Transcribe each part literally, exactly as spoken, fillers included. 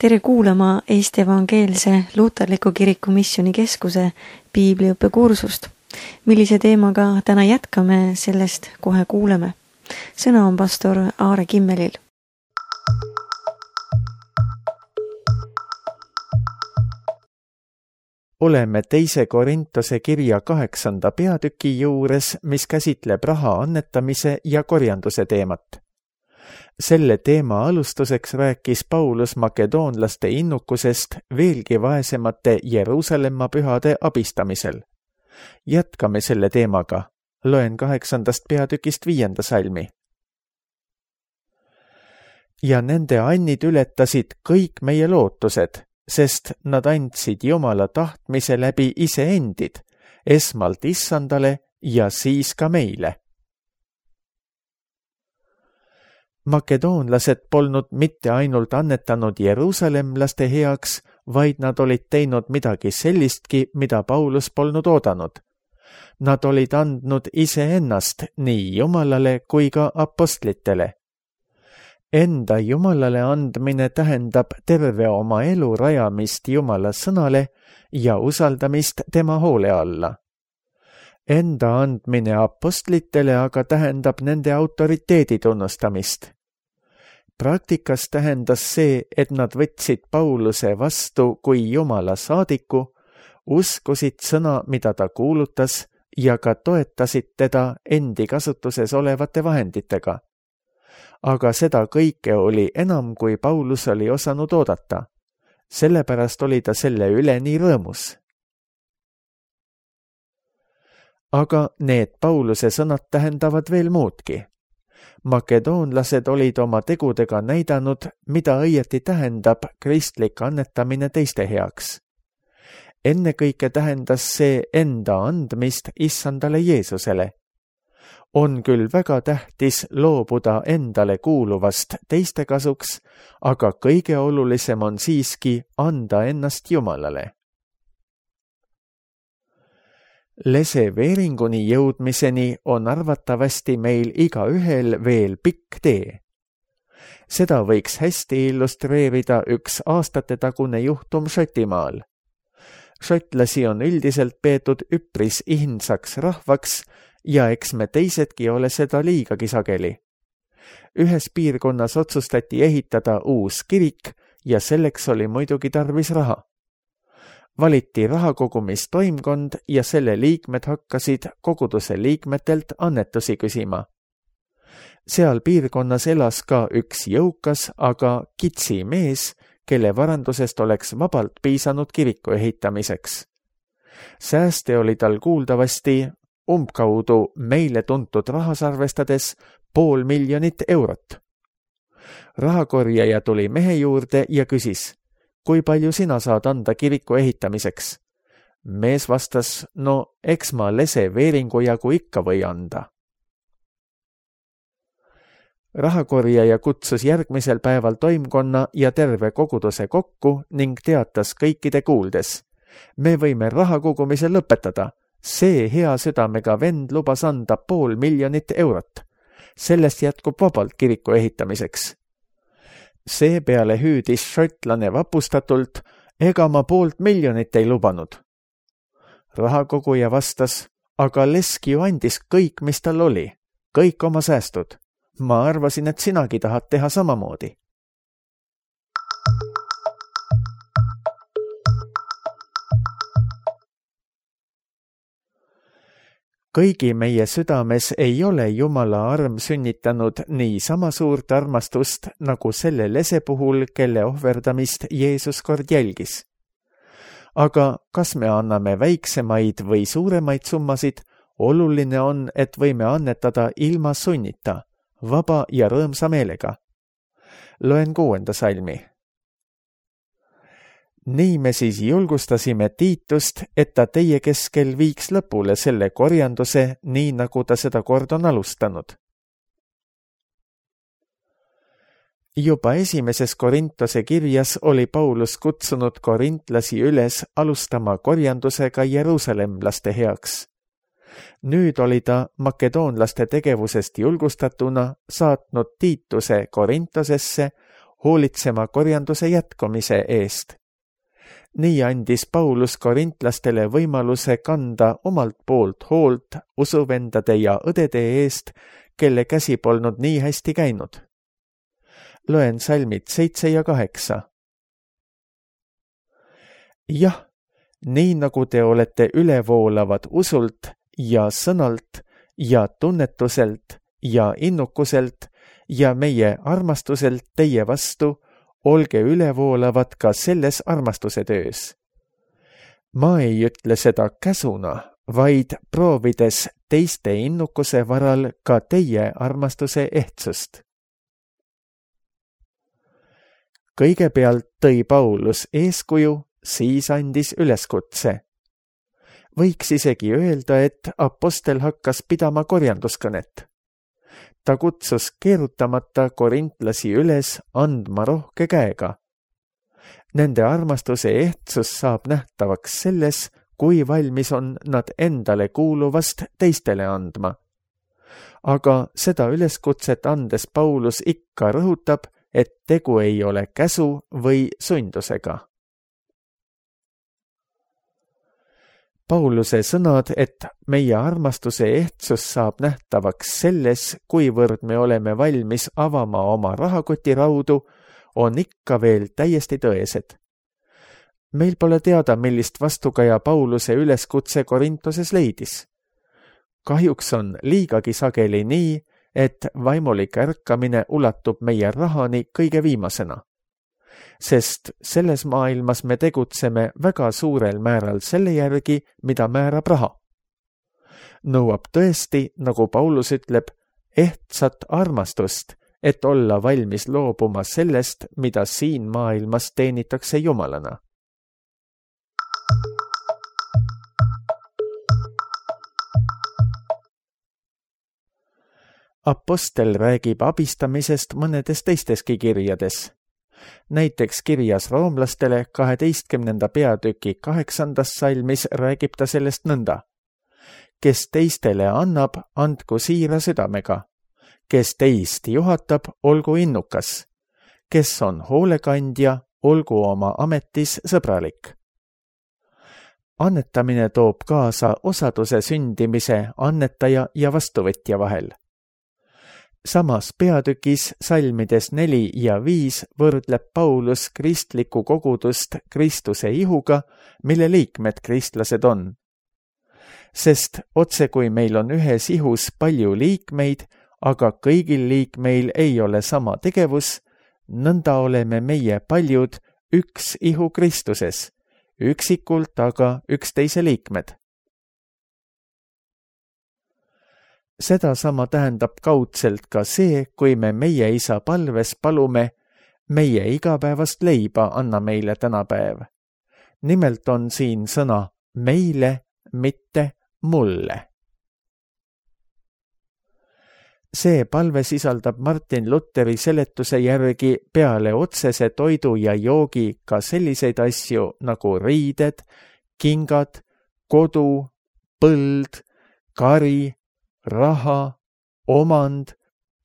tere kuulama Eesti Evangeelse Luterliku Kiriku Missioonikeskuse piibliõppekursust. Millise teemaga täna jätkame, sellest kohe kuuleme. Sõna on pastor Aare Kimmelil. Oleme teise Korintose kirja kaheksanda peatüki juures, mis käsitleb raha annetamise ja korjanduse teemat. Selle teema alustuseks rääkis Paulus makedoonlaste innukusest veelgi vaesemate Jeruusalemma pühade abistamisel. Jätkame selle teemaga. Loen kaheksandast peatükist viienda salmi. Ja nende annid ületasid kõik meie lootused, sest nad andsid Jumala tahtmise läbi iseendid, esmalt issandale ja siis ka meile. Makedoonlased polnud mitte ainult annetanud Jeruusalemlaste heaks, vaid nad olid teinud midagi sellistki, mida Paulus polnud oodanud. Nad olid andnud iseennast nii Jumalale kui ka apostlitele. Enda Jumalale andmine tähendab terve oma elu rajamist Jumala sõnale ja usaldamist tema hoole alla. Enda andmine apostlitele aga tähendab nende autoriteedi tunnustamist. Praktikas tähendas see, et nad võtsid Pauluse vastu kui Jumala saadiku, uskusid sõna, mida ta kuulutas, ja ka toetasid teda endi kasutuses olevate vahenditega. Aga seda kõike oli enam, kui Paulus oli osanud oodata. Sellepärast oli ta selle üle nii rõõmus. Aga need Pauluse sõnad tähendavad veel muudki. Makedoonlased olid oma tegudega näidanud, mida õieti tähendab kristlik annetamine teiste heaks. Ennekõike tähendas see enda andmist issandale Jeesusele. On küll väga tähtis loobuda endale kuuluvast teiste kasuks, aga kõige olulisem on siiski anda ennast Jumalale. Leseveeringuni jõudmiseni on arvatavasti meil igaühel veel pikk tee. Seda võiks hästi illustreerida üks aastatetagune juhtum Šotimaal. Šotlasi on üldiselt peetud üpris ihnsaks rahvaks ja eks me teisedki ole seda liigagi sageli. Ühes piirkonnas otsustati ehitada uus kirik ja selleks oli muidugi tarvis raha. Valiti rahakogumistoimkond ja selle liikmed hakkasid koguduse liikmetelt annetusi küsima. Seal piirkonnas elas ka üks jõukas, aga kitsi mees, kelle varandusest oleks vabalt piisanud kiriku ehitamiseks. Sääste oli tal kuuldavasti umbkaudu meile tuntud rahas arvestades pool miljonit eurot. Rahakorjaja tuli mehe juurde ja küsis, kui palju sina saad anda kiriku ehitamiseks? Mees vastas, no eks ma leseveeringu jagu ikka või anda. Rahakorjaja kutsus järgmisel päeval toimkonna ja terve koguduse kokku ning teatas kõikide kuuldes. Me võime rahakogumise lõpetada. See hea südamega vend lubas anda pool miljonit eurot. Sellest jätkub vabalt kiriku ehitamiseks. Seepeale hüüdis šotlane vapustatult, ega ma poolt miljonit ei lubanud. Rahakoguja vastas, aga Leski ju andis kõik, mis tal oli, kõik oma säästud. Ma arvasin, et sinagi tahad teha samamoodi. Kõigi meie südames ei ole Jumala arm sünnitanud nii sama suurt armastust nagu selle lese puhul, kelle ohverdamist Jeesus kord jälgis. Aga kas me anname väiksemaid või suuremaid summasid, oluline on, et võime annetada ilma sunnita, vaba ja rõõmsa meelega. Loen kuuenda salmi. Nii me siis julgustasime Tiitust, et ta teie keskel viiks lõpule selle korjanduse, nii nagu ta seda kord on alustanud. Juba esimeses Korintose kirjas oli Paulus kutsunud korintlasi üles alustama korjandusega Jeruusalemlaste heaks. Nüüd oli ta makedoonlaste tegevusest julgustatuna saatnud Tiituse Korintosesse hoolitsema korjanduse jätkumise eest. Nii andis Paulus korintlastele võimaluse kanda omalt poolt hoolt usuvendade ja õdede eest, kelle käsi polnud nii hästi käinud. Loen salmid seitse ja kaheksa. Jah, nii nagu te olete ülevoolavad usult ja sõnalt ja tunnetuselt ja innukuselt ja meie armastuselt teie vastu, olge ülevoolavad ka selles armastuse töös. Ma ei ütle seda käsuna, vaid proovides teiste innukuse varal ka teie armastuse ehtsust. Kõigepealt tõi Paulus eeskuju, siis andis üleskutse. Võiks isegi öelda, et apostel hakkas pidama korjanduskõnet. Ta kutsus keerutamata korintlasi üles andma rohke käega. Nende armastuse ehtsus saab nähtavaks selles, kui valmis on nad endale kuuluvast teistele andma. Aga seda üleskutset andes Paulus ikka rõhutab, et tegu ei ole käsu või sundusega. Pauluse sõnad, et meie armastuse ehtsus saab nähtavaks selles, kuivõrd me oleme valmis avama oma rahakoti raudu, on ikka veel täiesti tõesed. Meil pole teada, millist vastukaja Pauluse üleskutse Korintoses leidis. Kahjuks on liigagi sageli nii, et vaimulik ärkamine ulatub meie rahani kõige viimasena. Sest selles maailmas me tegutseme väga suurel määral selle järgi, mida määrab raha. Nõuab tõesti, nagu Paulus ütleb, ehtsat armastust, et olla valmis loobuma sellest, mida siin maailmas teenitakse Jumalana. Apostel räägib abistamisest mõnedes teisteski kirjades. Näiteks kirjas roomlastele kaheteistkümnenda peatüki kaheksandas salmis räägib ta sellest nõnda. Kes teistele annab, andku siira südamega. Kes teist juhatab, olgu innukas. Kes on hoolekandja, olgu oma ametis sõbralik. Annetamine toob kaasa osaduse sündimise annetaja ja vastuvõtja vahel. Samas peatükis salmides neli ja viis võrdleb Paulus kristlikku kogudust Kristuse ihuga, mille liikmed kristlased on. Sest otse kui meil on ühes ihus palju liikmeid, aga kõigil liikmeil ei ole sama tegevus, nõnda oleme meie paljud üks ihu Kristuses, üksikult aga üksteise liikmed. Seda sama tähendab kaudselt ka see, kui me meie isa palves palume, meie igapäevast leiba anna meile tänapäev. Nimelt on siin sõna meile, mitte mulle. See palve sisaldab Martin Lutheri seletuse järgi peale otsese toidu ja joogi ka selliseid asju nagu riided, kingad, kodu, põld, kari, raha, omand,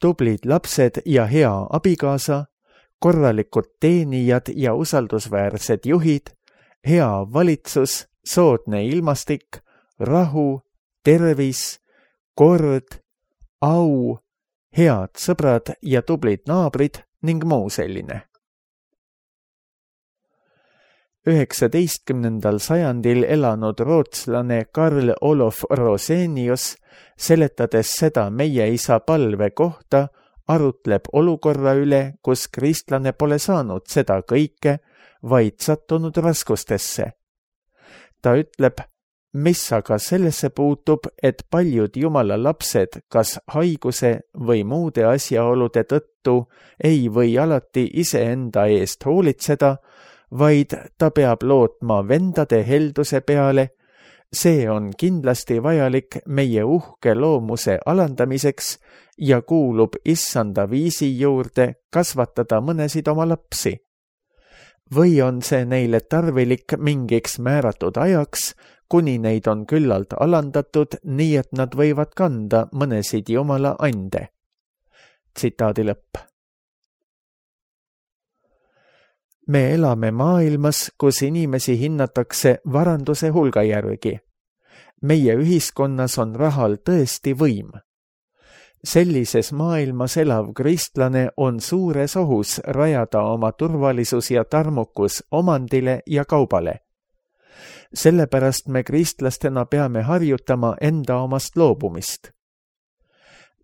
tublid lapsed ja hea abikaasa, korralikud teenijad ja usaldusväärsed juhid, hea valitsus, soodne ilmastik, rahu, tervis, kord, au, head sõbrad ja tublid naabrid ning muu selline. üheksateistkümnendal sajandil elanud rootslane Karl Olof Rosenius, seletades seda meie isa palve kohta, arutleb olukorra üle, kus kristlane pole saanud seda kõike, vaid sattunud raskustesse. Ta ütleb, mis aga sellesse puutub, et paljud Jumala lapsed kas haiguse või muude asjaolude tõttu ei või alati iseenda eest hoolitseda, vaid ta peab lootma vendade helduse peale, see on kindlasti vajalik meie uhke loomuse alandamiseks ja kuulub issanda viisi juurde kasvatada mõnesid oma lapsi. Või on see neile tarvilik mingiks määratud ajaks, kuni neid on küllalt alandatud, nii et nad võivad kanda mõnesid Jumala ande. Tsitaadi lõpp. me elame maailmas, kus inimesi hinnatakse varanduse hulga järgi. Meie ühiskonnas on rahal tõesti võim. Sellises maailmas elav kristlane on suures ohus rajada oma turvalisus ja tarmukus omandile ja kaubale. Sellepärast me kristlastena peame harjutama enda omast loobumist.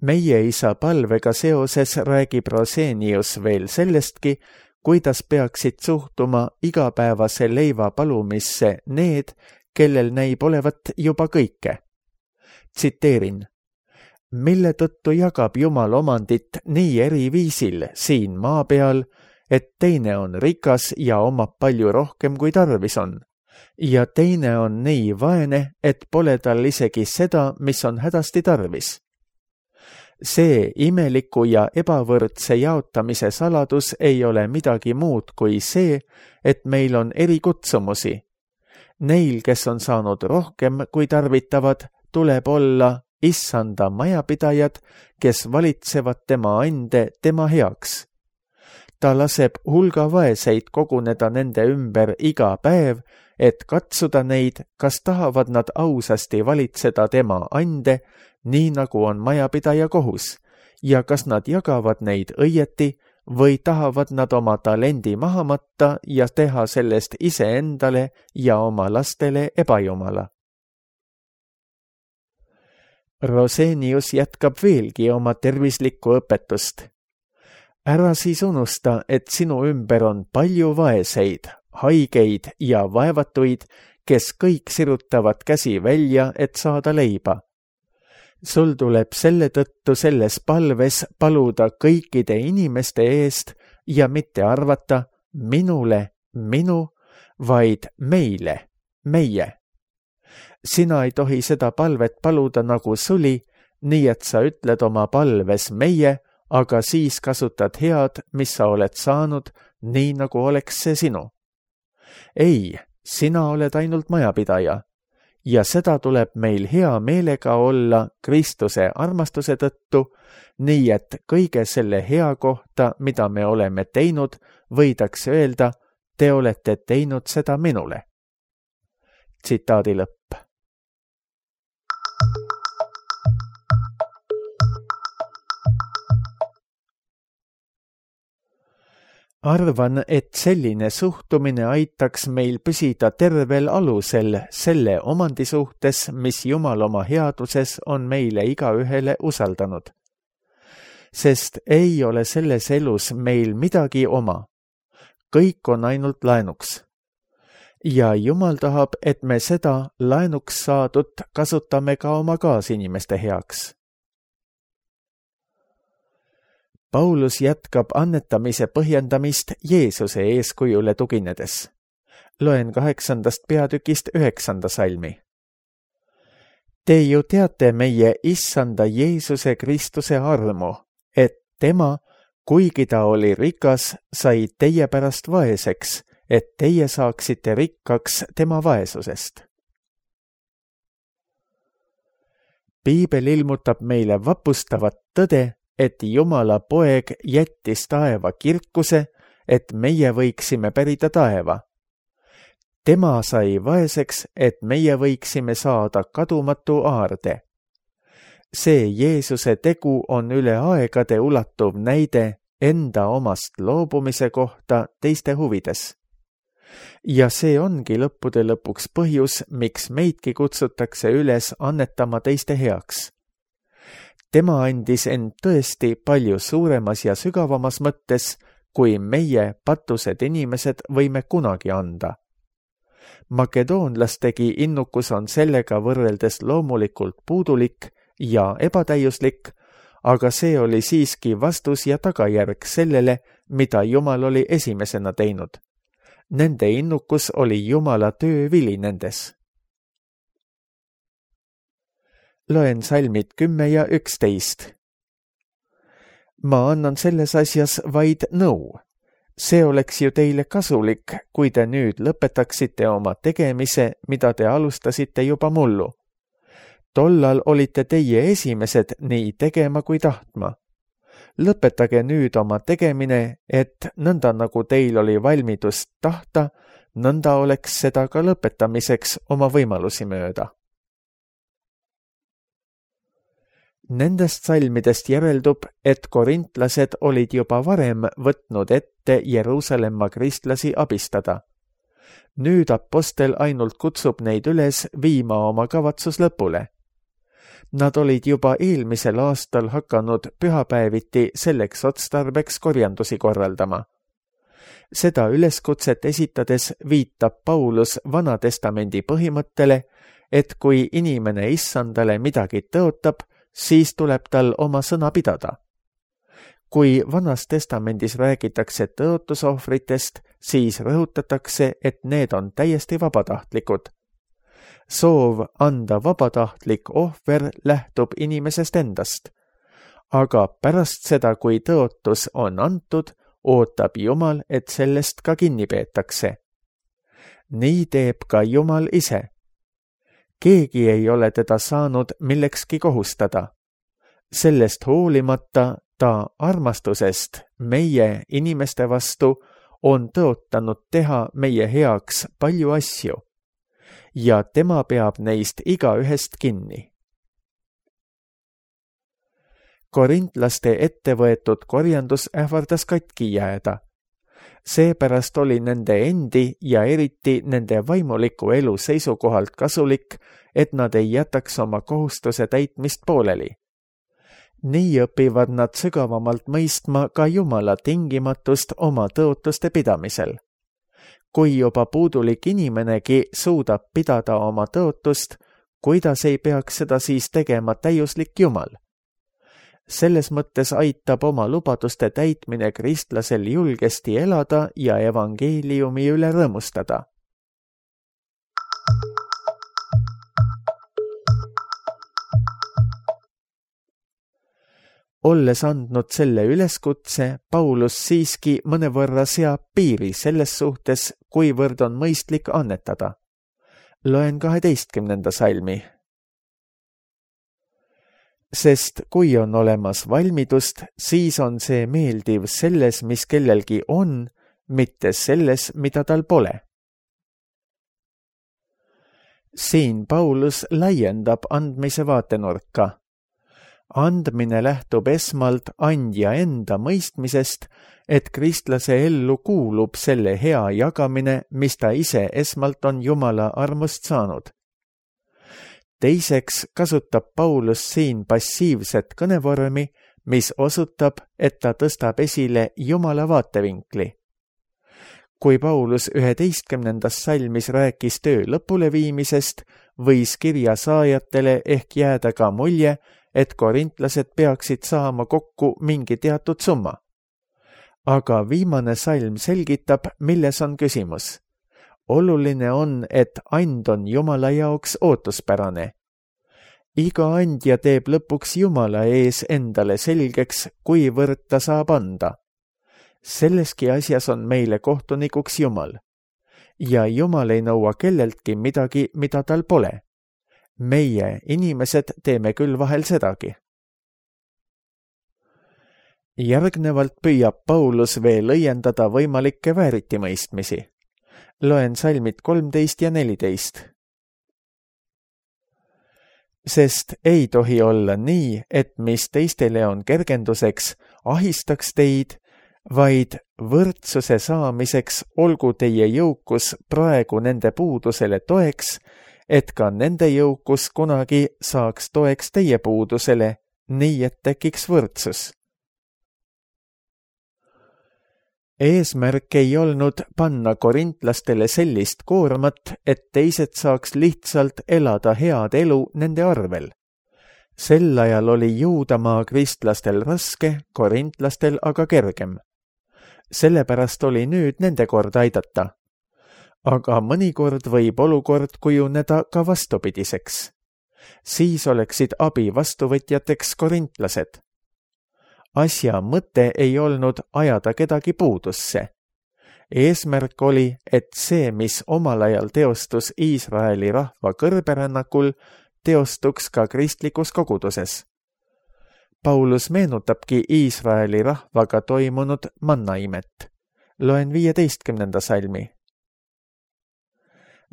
Meie isa palvega seoses räägib Rosenius veel sellestki, kuidas peaksid suhtuma igapäevase leiva palumisse need, kellel näib olevat juba kõike. Tsiteerin. Mille tõttu jagab Jumal omandit nii eri viisil siin maa peal, et teine on rikas ja omab palju rohkem kui tarvis on, ja teine on nii vaene, et pole tal isegi seda, mis on hädasti tarvis. See imeliku ja ebavõrdse jaotamise saladus ei ole midagi muud kui see, et meil on eri kutsumusi. Neil, kes on saanud rohkem kui tarvitavad, tuleb olla issanda majapidajad, kes valitsevad tema ande tema heaks. Ta laseb hulga vaeseid koguneda nende ümber iga päev, et katsuda neid, kas tahavad nad ausasti valitseda tema ande, nii nagu on majapidaja kohus, ja kas nad jagavad neid õieti või tahavad nad oma talendi maha matta ja teha sellest iseendale ja oma lastele ebajumala. Rosenius jätkab veelgi oma tervislikku õpetust. Ära siis unusta, et sinu ümber on palju vaeseid, haigeid ja vaevatuid, kes kõik sirutavad käsi välja, et saada leiba. Sul tuleb selle tõttu selles palves paluda kõikide inimeste eest ja mitte arvata minule, minu, vaid meile, meie. Sina ei tohi seda palvet paluda nagu suli, nii et sa ütled oma palves meie, aga siis kasutad head, mis sa oled saanud, nii nagu oleks see sinu. Ei, sina oled ainult majapidaja. Ja seda tuleb meil hea meelega olla Kristuse armastuse tõttu, nii et kõige selle hea kohta, mida me oleme teinud, võidakse öelda, te olete teinud seda minule. Tsitaadi lõpp. Arvan, et selline suhtumine aitaks meil püsida tervel alusel selle omandi suhtes, mis Jumal oma headuses on meile igaühele usaldanud. Sest ei ole selles elus meil midagi oma. Kõik on ainult laenuks. Ja Jumal tahab, et me seda laenuks saadut kasutame ka oma kaasinimeste heaks. Paulus jätkab annetamise põhjendamist Jeesuse eeskujule tuginedes. Loen kaheksandast peatükist üheksanda salmi. Te ju teate meie issanda Jeesuse Kristuse armu, et tema, kuigi ta oli rikas, sai teie pärast vaeseks, et teie saaksite rikkaks tema vaesusest. Piibel ilmutab meile vapustavat tõde, et Jumala poeg jättis taeva kirkuse, et meie võiksime pärida taeva. Tema sai vaeseks, et meie võiksime saada kadumatu aarde. See Jeesuse tegu on üle aegade ulatuv näide enda omast loobumise kohta teiste huvides. Ja see ongi lõppude lõpuks põhjus, miks meidki kutsutakse üles annetama teiste heaks. Tema andis end tõesti palju suuremas ja sügavamas mõttes, kui meie patused inimesed võime kunagi anda. Makedoonlastegi innukus on sellega võrreldes loomulikult puudulik ja ebatäiuslik, aga see oli siiski vastus ja tagajärg sellele, mida Jumal oli esimesena teinud. Nende innukus oli Jumala töövili nendes. Loen salmid kümme ja üksteist. Ma annan selles asjas vaid nõu. See oleks ju teile kasulik, kui te nüüd lõpetaksite oma tegemise, mida te alustasite juba mullu. Tollal olite teie esimesed nii tegema kui tahtma. lõpetage nüüd oma tegemine, et nõnda nagu teil oli valmidust tahta, nõnda oleks seda ka lõpetamiseks oma võimalusi mööda. Nendest salmidest järeldub, et korintlased olid juba varem võtnud ette Jeruusalemma kristlasi abistada. Nüüd apostel ainult kutsub neid üles viima oma kavatsus lõpule. Nad olid juba eelmisel aastal hakanud pühapäeviti selleks otstarbeks korjandusi korraldama. Seda üleskutset esitades viitab Paulus Vanatestamendi põhimõttele, et kui inimene issandale midagi tõotab, siis tuleb tal oma sõna pidada. Kui Vanas testamendis räägitakse tõotusohvritest, siis rõhutatakse, et need on täiesti vabatahtlikud. Soov anda vabatahtlik ohver lähtub inimesest endast, aga pärast seda, kui tõotus on antud, ootab Jumal, et sellest ka kinni peetakse. Nii teeb ka Jumal ise. Keegi ei ole teda saanud millekski kohustada. Sellest hoolimata ta armastusest meie inimeste vastu on tõotanud teha meie heaks palju asju ja tema peab neist igaühest kinni. Korintlaste ettevõetud korjandus ähvardas katki jääda. Seepärast oli nende endi ja eriti nende vaimuliku elu seisukohalt kasulik, et nad ei jätaks oma kohustuse täitmist pooleli. Nii õpivad nad sügavamalt mõistma ka Jumala tingimatust oma tõotuste pidamisel. Kui juba puudulik inimenegi suudab pidada oma tõotust, kuidas ei peaks seda siis tegema täiuslik Jumal? Selles mõttes aitab oma lubaduste täitmine kristlasel julgesti elada ja evangeeliumi üle rõõmustada. Olles andnud selle üleskutse, Paulus siiski mõnevõrra seab piiri selles suhtes, kuivõrd on mõistlik annetada. Loen kaheteistkümnenda salmi. Sest kui on olemas valmidust, siis on see meeldiv selles, mis kellelgi on, mitte selles, mida tal pole. Siin Paulus laiendab andmise vaatenurka. Andmine lähtub esmalt andja enda mõistmisest, et kristlase ellu kuulub selle hea jagamine, mis ta ise esmalt on Jumala armust saanud. Teiseks kasutab Paulus siin passiivset kõnevormi, mis osutab, et ta tõstab esile Jumala vaatevinkli. Kui Paulus üheteistkümnendas salmis rääkis töö lõpuleviimisest, võis kirja saajatele ehk jääda ka mulje, et korintlased peaksid saama kokku mingi teatud summa. Aga viimane salm selgitab, milles on küsimus. Oluline on, et and on Jumala jaoks ootuspärane. Iga andja teeb lõpuks Jumala ees endale selgeks, kuivõrd ta saab anda. Selleski asjas on meile kohtunikuks Jumal. Ja Jumal ei nõua kelleltki midagi, mida tal pole. Meie, inimesed, teeme küll vahel sedagi. Järgnevalt püüab Paulus veel õiendada võimalikke vääritimõistmisi. Loen salmid kolmteist ja neliteist. Sest ei tohi olla nii, et mis teistele on kergenduseks, ahistaks teid, vaid võrdsuse saamiseks olgu teie jõukus praegu nende puudusele toeks, et ka nende jõukus kunagi saaks toeks teie puudusele, nii et tekiks võrdsus. Eesmärk ei olnud panna korintlastele sellist koormat, et teised saaks lihtsalt elada head elu nende arvel. Sel ajal oli Juudamaa kristlastel raske, korintlastel aga kergem. Sellepärast oli nüüd nende kord aidata. Aga mõnikord võib olukord kujuneda ka vastupidiseks. Siis oleksid abi vastuvõtjateks korintlased. Asja mõte ei olnud ajada kedagi puudusse. Eesmärk oli, et see, mis omal ajal teostus Iisraeli rahva kõrberännakul, teostuks ka kristlikus koguduses. Paulus meenutabki Iisraeli rahvaga toimunud mannaimet. Loen viieteistkümnenda salmi.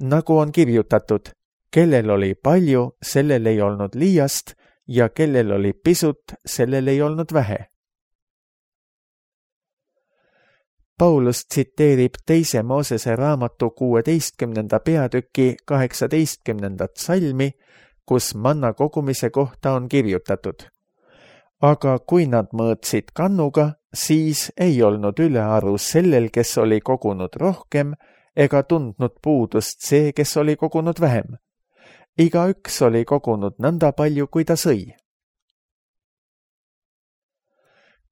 Nagu on kirjutatud, kellel oli palju, sellel ei olnud liiast ja kellel oli pisut, sellel ei olnud vähe. Paulus tsiteerib teise Moosese raamatu kuueteistkümnenda peatüki kaheksateistkümnendat salmi, kus manna kogumise kohta on kirjutatud. Aga kui nad mõõtsid kannuga, siis ei olnud ülearu sellel, kes oli kogunud rohkem, ega tundnud puudust see, kes oli kogunud vähem. Igaüks oli kogunud nõnda palju, kui ta sõi.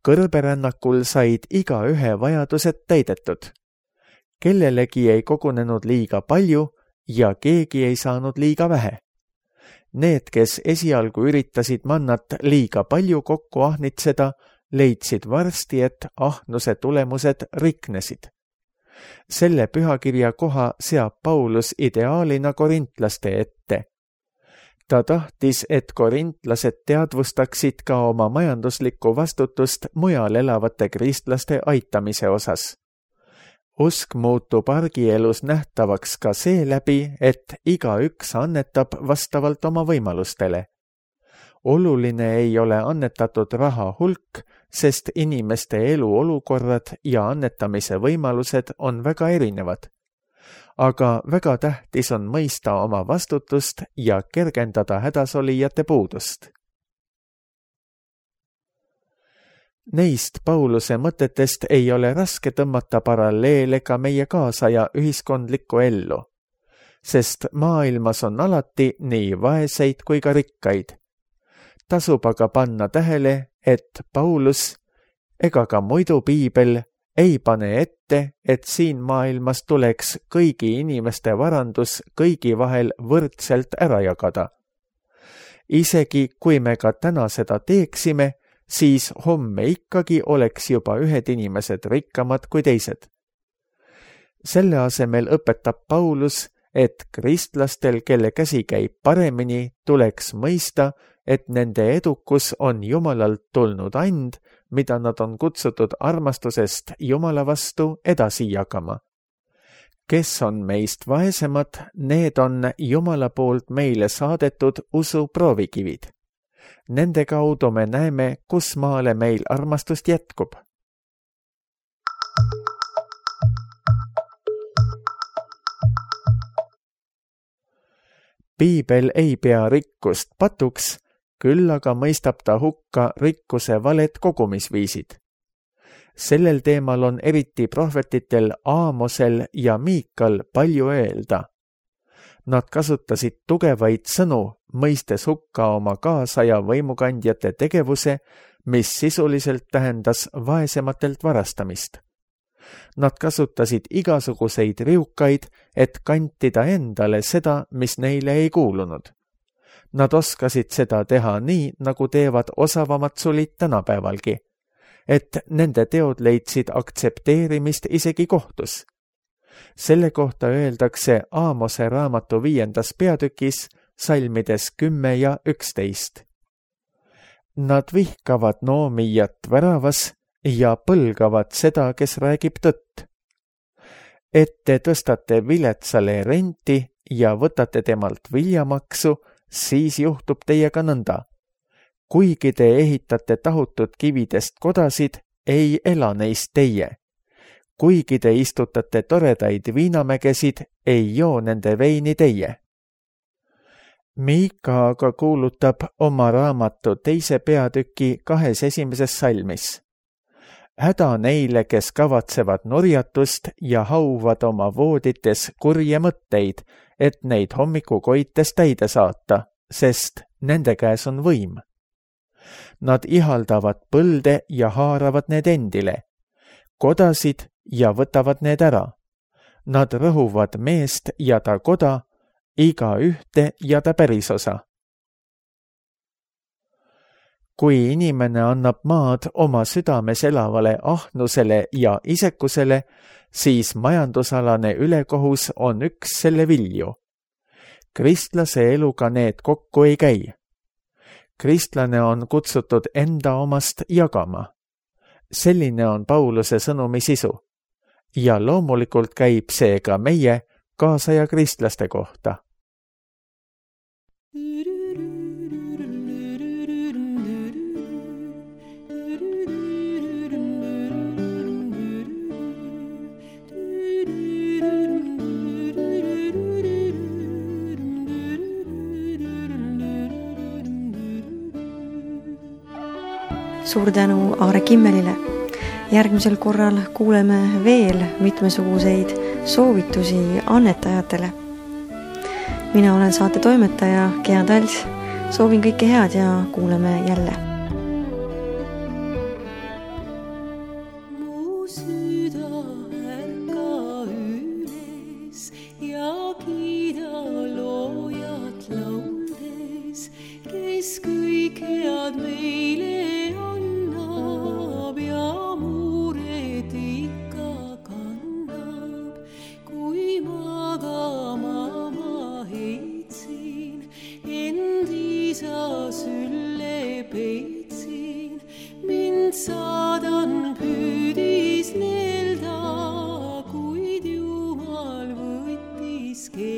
Kõrberännakul said igaühe vajadused täidetud. Kellelegi ei kogunenud liiga palju ja keegi ei saanud liiga vähe. Need, kes esialgu üritasid mannat liiga palju kokku ahnitseda, leidsid varsti, et ahnuse tulemused riknesid. Selle pühakirja koha seab Paulus ideaalina korintlaste ette. Ta tahtis, et korintlased teadvustaksid ka oma majanduslikku vastutust mujal elavate kristlaste aitamise osas. Usk muutub argielus nähtavaks ka seeläbi, et igaüks annetab vastavalt oma võimalustele. Oluline ei ole annetatud raha hulk, sest inimeste eluolukorrad ja annetamise võimalused on väga erinevad. Aga väga tähtis on mõista oma vastutust ja kergendada hädasolijate puudust. Neist Pauluse mõtetest ei ole raske tõmmata paralleele ka meie kaasaja ühiskondlikku ellu, sest maailmas on alati nii vaeseid kui ka rikkaid. Tasub aga panna tähele, et Paulus ega ka muidu piibel ei pane ette, et siin maailmas tuleks kõigi inimeste varandus kõigi vahel võrdselt ära jagada. Isegi kui me ka täna seda teeksime, siis homme ikkagi oleks juba ühed inimesed rikkamad kui teised. Selle asemel õpetab Paulus, et kristlastel, kelle käsi käib paremini, tuleks mõista, et nende edukus on Jumalalt tulnud and, mida nad on kutsutud armastusest Jumala vastu edasi jagama. Kes on meist vaesemad, need on Jumala poolt meile saadetud usu proovikivid. Nende kaudu me näeme, kus maale meil armastust jätkub. Piibel ei pea rikkust patuks, küll aga mõistab ta hukka rikkuse valed kogumisviisid. Sellel teemal on eriti prohvetitel Aamosel ja Miikal palju öelda. Nad kasutasid tugevaid sõnu, mõistes hukka oma kaasaja võimukandjate tegevuse, mis sisuliselt tähendas vaesematelt varastamist. Nad kasutasid igasuguseid riukaid, et kantida endale seda, mis neile ei kuulunud. Nad oskasid seda teha nii, nagu teevad osavamad sulid tänapäevalgi, et nende teod leidsid aktsepteerimist isegi kohtus. Selle kohta öeldakse Aamose raamatu viiendas peatükis, salmides kümme ja üksteist. Nad vihkavad noomijat väravas ja põlgavad seda, kes räägib tõtt. Et te tõstate viletsale renti ja võtate temalt viljamaksu, siis juhtub teiega nõnda. Kuigi te ehitate tahutud kividest kodasid, ei ela neist teie. Kuigi te istutate toredaid viinamägesid, ei joo nende veini teie. Miika aga kuulutab oma raamatu teise peatüki kahes esimeses salmis. Häda neile, kes kavatsevad nurjatust ja hauvad oma voodites kurje mõtteid, et neid hommikukoites täide saata, sest nende käes on võim. Nad ihaldavad põlde ja haaravad need endile, kodasid ja võtavad need ära. Nad rõhuvad meest ja ta koda, iga ühte ja ta pärisosa. Kui inimene annab maad oma südames elavale ahnusele ja isekusele, siis majandusalane ülekohus on üks selle vilju. Kristlase eluga need kokku ei käi. kristlane on kutsutud enda omast jagama. Selline on Pauluse sõnumi sisu. Ja loomulikult käib see ka meie kaasaja kristlaste kohta. Suur tänu Aare Kimmelile. Järgmisel korral kuuleme veel mitmesuguseid soovitusi annetajatele. Mina olen saate toimetaja Gea Tals. Soovin kõike head ja kuuleme jälle. you.